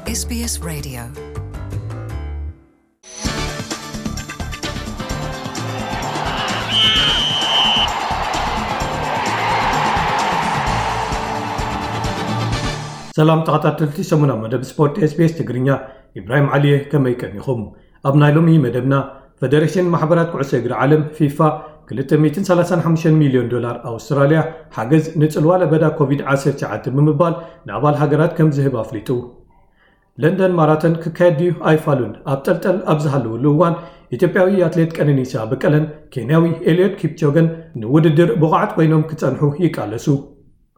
SBS Radio. ሰላም ተኸታተልቲ ሰሙናዊ መደብ ስፖርት SBS ትግርኛ፣ ኢብራሂም ዓሊየ፣ ከመይ ቀኒኹም? ኣብ ናይ ሎሚ መደብና፣ ፈደሬሽን ማሕበራት ኩዕሶ እግሪ ዓለም ፊፋ ክልተ ሚእትን ሰላሳን ሓሙሽተን ሚልዮን ዶላር ኣውስትራልያ ሓገዝ ንጽልዋ ለበዳ ኮቪድ ዓሰርተ ትሽዓተ ብምባል ንኣባል ሃገራት ከም ዝህብ ኣፍሊጡ። ለንደን ማራቶን ክካየድ ድዩ ኣይፋሉን ኣብ ጠልጠል ኣብ ዝሃለወሉ እዋን፣ ኢትዮጵያዊ ኣትሌት ቀነኒሳ በቀለን ኬንያዊ ኤልዮድ ኪፕቾገን ንውድድር ብቑዓት ኮይኖም ክጸንሑ ይቃለሱ።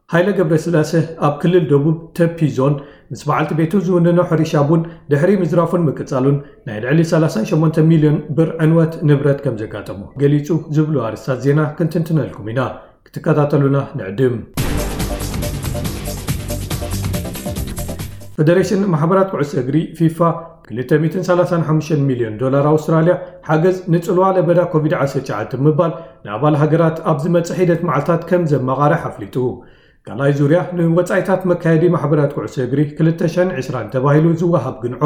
ሃይለ ገብረስላሴ ኣብ ክልል ደቡብ ተፒ ዞን ምስ በዓልቲ ቤቱ ዝውንኖ ሕርሻ ቡን ድሕሪ ምዝራፉን ምቅጻሉን ናይ ልዕሊ ሰላሳን ሸሞንተ ሚልዮን ብር ዕንወት ንብረት ከም ዘጋጠሞ ገሊጹ ዝብሉ ኣርእስታት ዜና ክንትንትነልኩም ኢና። ክትከታተሉና ንዕድም። ፈደሬሽን ማሕበራት ኩዕሶ እግሪ ፊፋ ክልተ ሚእትን ሰላሳን ሓሙሽተን ሚልዮን ዶላር ኣውስትራልያ ሓገዝ ንጽልዋ ለበዳ ኮቪድ ዓሰርተ ትሽዓተ ብምባል ንኣባል ሃገራት ኣብ ዝመጽእ ሒደት መዓልታት ከም ዘመቓርሕ ኣፍሊጡ። ካልኣይ ዙርያ ንወጻኢታት መካየዲ ማሕበራት ኩዕሶ እግሪ ክልተ ሽሕን ዕስራን ተባሂሉ ዝወሃብ ግንዖ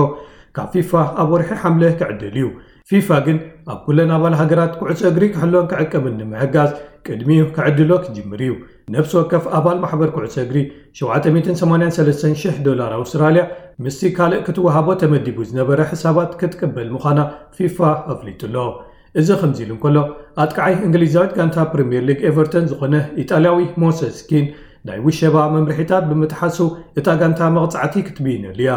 ካብ ፊፋ ኣብ ወርሒ ሓምለ ክዕደል እዩ። ፊፋ ግን ኣብ ኩለን ኣባል ሃገራት ኩዕሶ እግሪ ክሕሎን ክዕቀብን ንምሕጋዝ ቅድሚኡ ክዕድሎ ክጅምር እዩ። ነፍሲ ወከፍ ኣባል ማሕበር ኩዕሶ እግሪ ሸውዓተ ሚእትን ሰማንያን ሰለስተን ሽሕ ዶላር ኣውስትራልያ ምስቲ ካልእ ክትወሃቦ ተመዲቡ ዝነበረ ሕሳባት ክትቅበል ምዃና ፊፋ ኣፍሊጡ ኣሎ። እዚ ከምዚ ኢሉ እንከሎ፣ ኣጥቃዓይ እንግሊዛዊት ጋንታ ፕሪምየር ሊግ ኤቨርተን ዝኾነ ኢጣልያዊ ሞሰስ ኪን ናይ ውሸባ መምርሒታት ብምጥሓሱ እታ ጋንታ መቕጻዕቲ ክትብይነሉ እያ።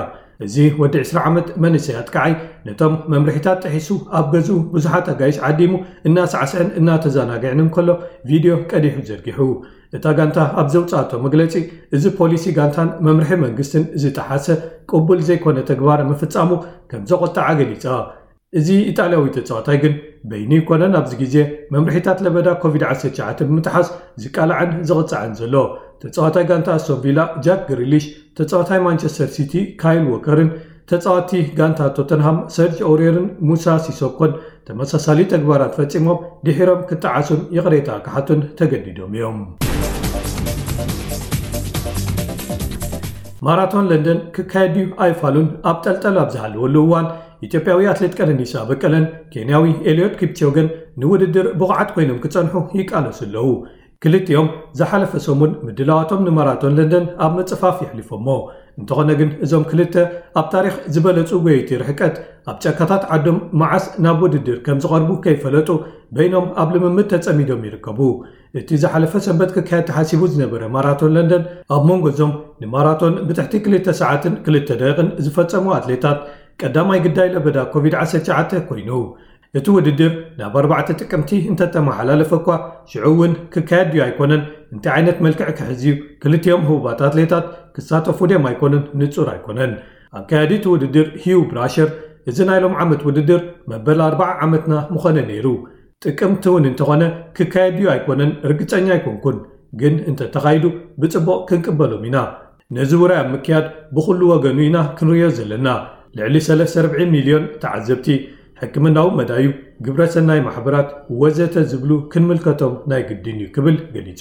እዚ ወዲ ዕስራ ዓመት መንእሰይ ኣጥቃዓይ ነቶም መምርሒታት ጥሒሱ ኣብ ገዝኡ ብዙሓት ኣጋይሽ ዓዲሙ እናሳዕስዐን እናተዘናግዐን እንከሎ ቪድዮ ቀዲሑ ዘርጊሑ። እታ ጋንታ ኣብ ዘውጽኣቶ መግለጺ፣ እዚ ፖሊሲ ጋንታን መምርሒ መንግስትን ዝጠሓሰ ቅቡል ዘይኮነ ተግባር ምፍጻሙ ከም ዘቖጠዓ ገሊጻ። እዚ ኢጣልያዊ ተጻዋታይ ግን በይኑ ኣይኮነን ኣብዚ ግዜ መምርሒታት ለበዳ ኮቪድ ዓሰርተ ትሽዓተ ብምጥሓስ ዝቃላዕን ዝቕጻዕን ዘሎ። ተጻዋታይ ጋንታ ኣስቶን ቪላ ጃክ ግሪሊሽ፣ ተጻዋታይ ማንቸስተር ሲቲ ካይል ዎከርን ተጻዋቲ ጋንታ ቶተንሃም ሰርጅ ኦውሬርን ሙሳ ሲሶኮን ተመሳሳሊ ተግባራት ፈጺሞም ድሒሮም ክጠዓሱን ይቕሬታ ክሓቱን ተገዲዶም እዮም። ማራቶን ለንደን ክካየድ ድዩ ኣይፋሉን ኣብ ጠልጠል ኣብ ዝሃለወሉ እዋን፣ ኢትዮጵያዊ ኣትሌት ቀነኒሳ በቀለን ኬንያዊ ኤልዮድ ኪፕቾገን ንውድድር ብቑዓት ኮይኖም ክጸንሑ ይቃለሱ ኣለዉ። ክልቲኦም ዝሓለፈ ሰሙን ምድላዋቶም ንማራቶን ለንደን ኣብ ምጽፋፍ የሕሊፎሞ። እንተኾነ ግን እዞም ክልተ ኣብ ታሪኽ ዝበለጹ ጎየይቲ ርሕቀት ኣብ ጫካታት ዓዶም መዓስ ናብ ውድድር ከም ዝቐርቡ ከይፈለጡ በይኖም ኣብ ልምምድ ተጸሚዶም ይርከቡ። እቲ ዝሓለፈ ሰንበት ክካየድ ተሓሲቡ ዝነበረ ማራቶን ለንደን ኣብ መንጎ እዞም ንማራቶን ብትሕቲ ክልተ ሰዓትን ክልተ ደቂቕን ዝፈጸሙ ኣትሌታት ቀዳማይ ግዳይ ለበዳ ኮቪድ ዓሰርተ ትሽዓተ ኮይኑ። እቲ ውድድር ናብ ኣርባዕተ ጥቅምቲ እንተተመሓላለፈ እኳ ሽዑ እውን ክካየድ ድዩ ኣይኮነን እንታይ ዓይነት መልክዕ ክሕዝ እዩ፣ ክልቲኦም ህቡባት ኣትሌታት ክሳተፉ ድዮም ኣይኮኑን ንጹር ኣይኮነን። ኣካያዲ እቲ ውድድር ሂዩ ብራሸር፣ እዚ ናይ ሎም ዓመት ውድድር መበል ኣርባዓ ዓመትና ምኾነ ነይሩ። ጥቅምቲ እውን እንተኾነ ክካየድ ድዩ ኣይኮነን ርግጸኛ ኣይኮንኩን፣ ግን እንተተኻይዱ ብጽቡቕ ክንቅበሎም ኢና። ነዚ ውራይ ኣብ ምክያድ ብኹሉ ወገኑ ኢና ክንርእዮ ዘለና። ልዕሊ ሰለስተ ርብዒ ሚልዮን ተዓዘብቲ፣ ሕክምናዊ መዳዩ፣ ግብረ ሰናይ ማሕበራት ወዘተ ዝብሉ ክንምልከቶም ናይ ግድን እዩ ክብል ገሊጹ።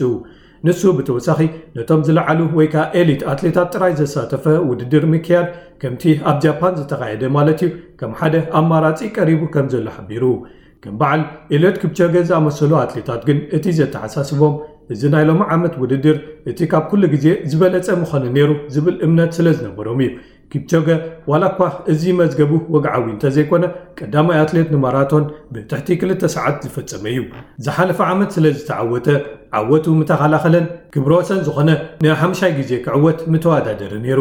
ንሱ ብተወሳኺ ነቶም ዝለዓሉ ወይ ከኣ ኤሊት ኣትሌታት ጥራይ ዘሳተፈ ውድድር ምክያድ ከምቲ ኣብ ጃፓን ዝተኻየደ ማለት እዩ ከም ሓደ ኣማራጺ ቀሪቡ ከም ዘሎ ሓቢሩ። ከም በዓል ኤልዮድ ኪፕቾገ ዝኣመሰሉ ኣትሌታት ግን እቲ ዘተሓሳስቦም እዚ ናይ ሎሚ ዓመት ውድድር እቲ ካብ ኩሉ ግዜ ዝበለጸ ምኾነ ነይሩ ዝብል እምነት ስለ ዝነበሮም እዩ። ኪፕቾገ ዋላ እኳ እዚ መዝገቡ ወግዓዊ እንተዘይኮነ ቀዳማይ ኣትሌት ንማራቶን ብትሕቲ ክልተ ሰዓት ዝፈጸመ እዩ። ዝሓለፈ ዓመት ስለ ዝተዓወተ ዓወቱ ምተኸላኸለን ክብረ ወሰን ዝኾነ ንሓምሻይ ግዜ ክዕወት ምተወዳደረ ነይሩ።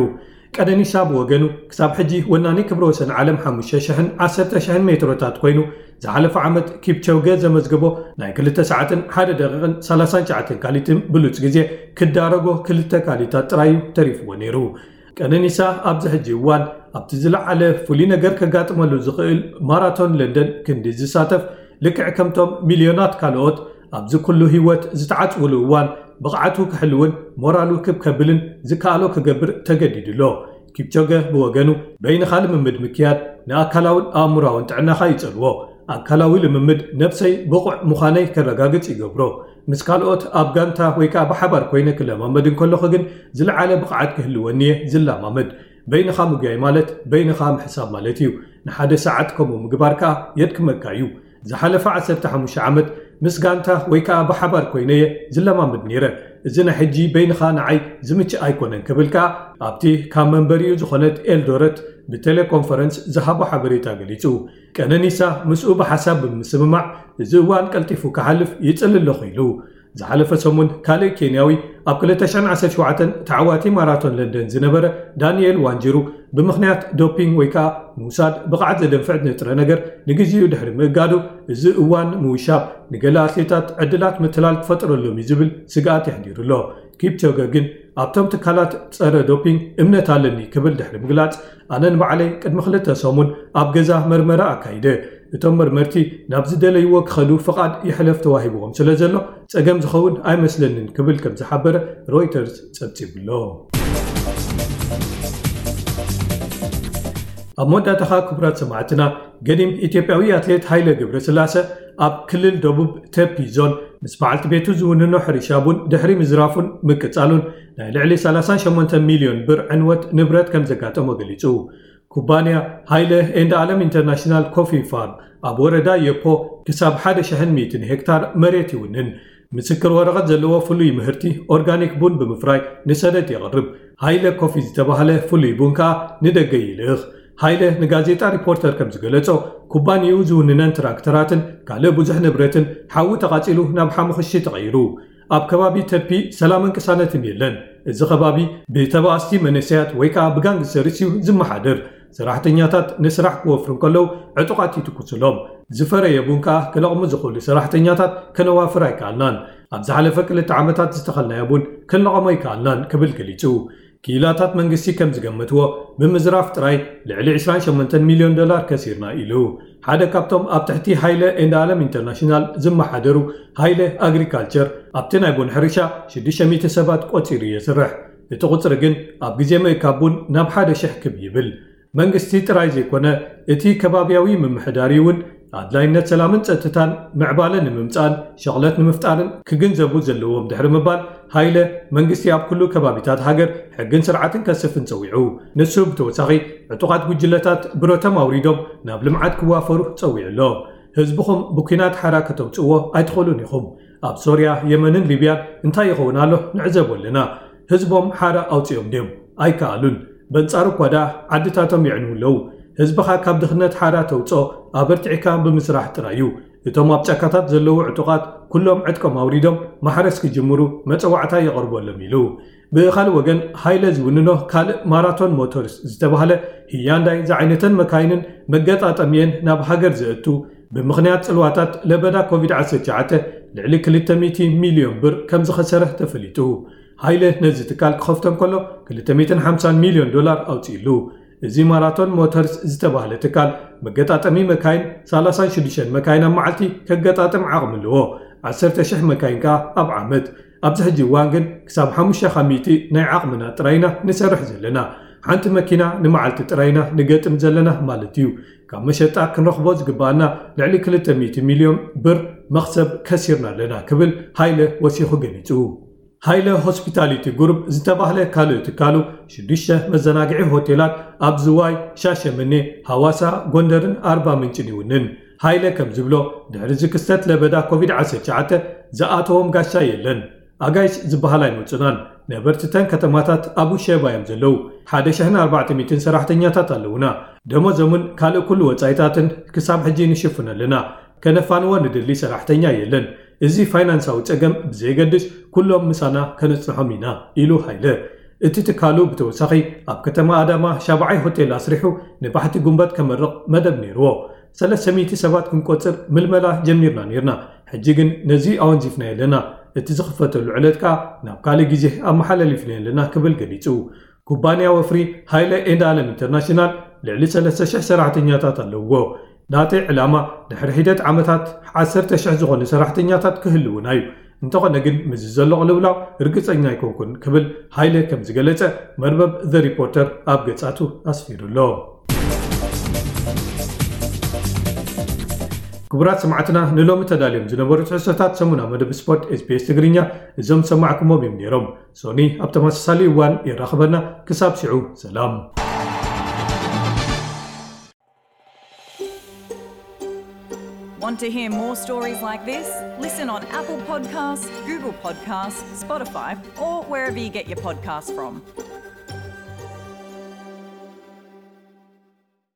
ቀነኒሳ ብወገኑ ክሳብ ሕጂ ወናኒ ክብረ ወሰን ዓለም ሓሙሽተ ሽሕን ዓሰርተ ሽሕን ሜትሮታት ኮይኑ፣ ዝሓለፈ ዓመት ኪፕቾገ ዘመዝገቦ ናይ ክልተ ሰዓትን ሓደ ደቂቕን ሰላሳን ትሽዓተን ካሊትን ብሉጽ ግዜ ክዳረጎ ክልተ ካሊታት ጥራይ እዩ ተሪፍዎ ነይሩ። ቀነኒሳ ኣብዚ ሕጂ እዋን ኣብቲ ዝለዓለ ፍሉይ ነገር ከጋጥመሉ ዝኽእል ማራቶን ለንደን ክንዲ ዝሳተፍ፣ ልክዕ ከምቶም ሚልዮናት ካልኦት ኣብዚ ኩሉ ህይወት ዝተዓጽውሉ እዋን ብቕዓቱ ክሕልውን ሞራሉ ክብ ከብልን ዝከኣሎ ክገብር ተገዲዱ ኣሎ። ኪፕቾገ ብወገኑ በይንኻ ልምምድ ምክያድ ንኣካላውን ኣእምሮኣውን ጥዕናኻ ይጸልዎ። ኣካላዊ ልምምድ ነብሰይ ብቑዕ ምዃነይ ከረጋግጽ ይገብሮ። ምስ ካልኦት ኣብ ጋንታ ወይ ከኣ ብሓባር ኮይነ ክለማመድ እንከለኹ ግን ዝለዓለ ብቕዓት ክህልወኒ እየ ዝለማመድ። በይንኻ ምጉያይ ማለት በይንኻ ምሕሳብ ማለት እዩ። ንሓደ ሰዓት ከምኡ ምግባር ከኣ የድክመካ እዩ። ዝሓለፈ ዓሰርተ ሓሙሽተ ዓመት ምስ ጋንታ ወይ ከኣ ብሓባር ኮይነየ ዝለማመድ ነይረ። እዚ ናይ ሕጂ በይንኻ ንዓይ ዝምችእ ኣይኮነን ክብል ከኣ ኣብቲ ካብ መንበሪኡ ዝኾነት ኤልዶረት ብቴሌኮንፈረንስ ዝሃቦ ሓበሬታ ገሊጹ። ቀነኒሳ ምስኡ ብሓሳብ ብምስምማዕ እዚ እዋን ቀልጢፉ ክሓልፍ ይጽሊ ኣለኹ ኢሉ። ዝሓለፈ ሰሙን ካልእ ኬንያዊ ኣብ ክልተ ሽሕን ዓሰርተ ሸውዓተን ተዓዋቲ ማራቶን ለንደን ዝነበረ ዳንኤል ዋንጂሩ ብምኽንያት ዶፒንግ ወይ ከኣ ምውሳድ ብቕዓት ዘደንፍዕ ንጥረ ነገር ንግዜኡ ድሕሪ ምእጋዱ፣ እዚ እዋን ምውሻብ ንገለ ኣትሌታት ዕድላት ምትላል ክፈጥረሎም እዩ ዝብል ስግኣት የሕዲሩ ኣሎ። ኪፕቾገ ግን ኣብቶም ትካላት ጸረ ዶፒንግ እምነት ኣለኒ ክብል ድሕሪ ምግላጽ፣ ኣነ ንባዕለይ ቅድሚ ክልተ ሰሙን ኣብ ገዛ መርመራ ኣካይደ። እቶም መርመርቲ ናብ ዝደለይዎ ክኸዱ ፍቓድ ይሕለፍ ተዋሂብዎም ስለ ዘሎ፣ ጸገም ዝኸውን ኣይመስለንን ክብል ከም ዝሓበረ ሮይተርስ ጸብጺቡ ኣሎ። ኣብ መወዳእታኻ ክቡራት ሰማዕትና፣ ገዲም ኢትዮጵያዊ ኣትሌት ሃይለ ገብረስላሰ ኣብ ክልል ደቡብ ተፒ ዞን ምስ በዓልቲ ቤቱ ዝውንኖ ሕርሻ ቡን ድሕሪ ምዝራፉን ምቅጻሉን ናይ ልዕሊ ሰላሳን ሸሞንተን ሚልዮን ብር ዕንወት ንብረት ከም ዘጋጠሞ ገሊጹ። ኩባንያ ሃይለ ኤንድ ኣለም ኢንተርናሽናል ኮፊ ፋርም ኣብ ወረዳ የፖ ክሳብ ሓደ ሽሕን ሚእትን ሄክታር መሬት ይውንን። ምስክር ወረቐት ዘለዎ ፍሉይ ምህርቲ ኦርጋኒክ ቡን ብምፍራይ ንሰደድ የቕርብ። ሃይለ ኮፊ ዝተባህለ ፍሉይ ቡን ከኣ ንደገ ይልእኽ። ሃይለ ንጋዜጣ ሪፖርተር ከም ዝገለጾ፣ ኩባንያኡ ዝውንነን ትራክተራትን ካልእ ብዙሕ ንብረትን ሓዊ ተቓጺሉ ናብ ሓሙኽሽቲ ተቐይሩ። ኣብ ከባቢ ተፒ ሰላምን ቅሳነትን የለን። እዚ ከባቢ ብተባኣስቲ መንእሰያት ወይ ከኣ ብጋንግስተርስ እዩ ዝመሓደር። ሰራሕተኛታት ንስራሕ ክወፍሩ እንከለዉ ዕጡቓት ይትኩስሎም። ዝፈረየ ቡን ከኣ ክለቕሙ ዝኽእሉ ሰራሕተኛታት ከነዋፍር ኣይከኣልናን። ኣብ ዝሓለፈ ክልተ ዓመታት ዝተኸልናዮ ቡን ክንለቐሞ ኣይከኣልናን ክብል ገሊጹ። ክኢላታት መንግስቲ ከም ዝገመትዎ፣ ብምዝራፍ ጥራይ ልዕሊ ዕስራን ሸሞንተን ሚልዮን ዶላር ከሲርና ኢሉ። ሓደ ካብቶም ኣብ ትሕቲ ሃይለ ኤንድ ኣለም ኢንተርናሽናል ዝመሓደሩ ሃይለ ኣግሪካልቸር ኣብቲ ናይ ቡን ሕርሻ ሽዱሽተ ሚእቲ ሰባት ቆጺሩ የስርሕ። እቲ ቁጽሪ ግን ኣብ ግዜ ምእካብ ቡን ናብ ሓደ ሽሕ ክብ ይብል። መንግስቲ ጥራይ ዘይኮነ፣ እቲ ከባብያዊ ምምሕዳር እውን ኣድላይነት ሰላምን ጸጥታን ምዕባለ ንምምጻእን ሸቕለት ንምፍጣርን ክግንዘቡ ዘለዎም ድሕሪ ምባል፣ ሃይለ መንግስቲ ኣብ ኩሉ ከባቢታት ሃገር ሕግን ስርዓትን ከስፍን ጸዊዑ። ንሱ ብተወሳኺ ዕጡቓት ጉጅለታት ብረቶም ኣውሪዶም ናብ ልምዓት ክዋፈሩ ጸዊዑ ኣሎ። ህዝብኹም ብኲናት ሓራ ከተውጽእዎ ኣይትኽእሉን ኢኹም። ኣብ ሶርያ፣ የመንን ሊብያን እንታይ ይኸውን ኣሎ ንዕዘቦ ኣለና። ህዝቦም ሓራ ኣውጺኦም ድዮም? ኣይከኣሉን። በንጻሩ እኳ ደኣ ዓድታቶም የዕንዉ ኣለዉ። ህዝብኻ ካብ ድኽነት ሓራ ተውጽኦ ኣበርቲዕካ ብምስራሕ ጥራይ እዩ። እቶም ኣብ ጫካታት ዘለዉ ዕጡቓት ኩሎም ዕጥቆም ኣውሪዶም ማሕረስ ክጅምሩ መጸዋዕታ የቕርበሎም ኢሉ። ብኻልእ ወገን፣ ሃይለ ዝውንኖ ካልእ ማራቶን ሞተርስ ዝተባህለ ህያንዳይ ዝዓይነተን መካይንን መገጣጠሚየን ናብ ሃገር ዘእቱ፣ ብምኽንያት ጽልዋታት ለበዳ ኮቪድ ዓሰርተ ትሽዓተ ልዕሊ ክልተ ሚእቲ ሚልዮን ብር ከም ዝኸሰረ ተፈሊጡ። ሃይለ ነዚ ትካል ክኸፍቶ እንከሎ ክልተ ሚእትን ሓምሳን ሚልዮን ዶላር ኣውጺእሉ። እዚ ማራቶን ሞተርስ ዝተባህለ ትካል መገጣጠሚ መካይን ሰላሳን ሽዱሽተን መካይን ኣብ መዓልቲ ከገጣጥም ዓቕሚ ኣለዎ። ዓሰርተ ሽሕ መካይን ከኣ ኣብ ዓመት። ኣብዚ ሕጂ እዋን ግን ክሳብ ሓሙሽተ ካብ ሚእቲ ናይ ዓቕምና ጥራይ ኢና ንሰርሕ ዘለና። ሓንቲ መኪና ንመዓልቲ ጥራይ ኢና ንገጥም ዘለና ማለት እዩ። ካብ መሸጣ ክንረኽቦ ዝግባኣና ልዕሊ ክልተ ሚእቲ ሚልዮን ብር መኽሰብ ከሲርና ኣለና ክብል ሃይለ ወሲኹ ገሊጹ። ሃይለ ሆስፒታሊቲ ግሩፕ ዝተባህለ ካልእ ትካሉ ሽዱሽተ መዘናግዒ ሆቴላት ኣብ ዝዋይ፣ ሻሸመኔ፣ ሃዋሳ፣ ጎንደርን ኣርባ ምንጭን ይውንን። ሃይለ ከም ዝብሎ፣ ድሕሪ እዚ ክስተት ለበዳ ኮቪድ ዓሰርተ ትሽዓተ ዝኣተዎም ጋሻ የለን። ኣጋይሽ ዝበሃል ኣይመጹናን። ነበርትተን ከተማታት ኣብ ውሸባ እዮም ዘለዉ። ሓደ ሽሕን ኣርባዕተ ሚእትን ሰራሕተኛታት ኣለዉና። ደሞዞምን ካልእ ኩሉ ወጻኢታትን ክሳብ ሕጂ ንሽፍኖ ኣለና። ከነፋንዎ ንደሊ ሰራሕተኛ የለን። እዚ ፋይናንሳዊ ጸገም ብዘየገድስ ኩሎም ምሳና ከነጽንሖም ኢና ኢሉ ሃይለ። እቲ ትካሉ ብተወሳኺ ኣብ ከተማ ኣዳማ ሻብዓይ ሆቴል ኣስሪሑ ንባሕቲ ጉንበት ከመርቕ መደብ ነይርዎ። ሰለስተ ሚእቲ ሰባት ክንቆጽር ምልመላ ጀሚርና ነይርና። ሕጂ ግን ነዚ ኣወንዚፍናዮ ኣለና። እቲ ዝኽፈተሉ ዕለት ከኣ ናብ ካልእ ግዜ ኣመሓላሊፍናዮ ኣለና ክብል ገሊጹ። ኩባንያ ወፍሪ ሃይለ ኤንድ ኣለም ኢንተርናሽናል ልዕሊ ሰለስተ ሽሕ ሰራሕተኛታት ኣለውዎ። ናተይ ዕላማ ድሕሪ ሒደት ዓመታት ዓሰርተ ሽሕ ዝኾኑ ሰራሕተኛታት ክህልውና እዩ። እንተኾነ ግን ምስዚ ዘሎ ቅልውላው ርግጸኛ ኣይኮንኩን ክብል ሃይለ ከም ዝገለጸ መርበብ ዘ ሪፖርተር ኣብ ገጻቱ ኣስፊሩ ኣሎ። ክቡራት ሰማዕትና፣ ንሎሚ ተዳልዮም ዝነበሩ ትሕዝቶታት ሰሙና መደብ ስፖርት ኤስቢኤስ ትግርኛ እዞም ሰማዕኩሞም እዮም ነይሮም። ሶኒ ኣብ ተመሳሳሊ እዋን የራኽበና። ክሳብ ሽዑ ሰላም። Want to hear more stories like this? Listen on Apple Podcasts, Google Podcasts, Spotify, or wherever you get your podcasts from.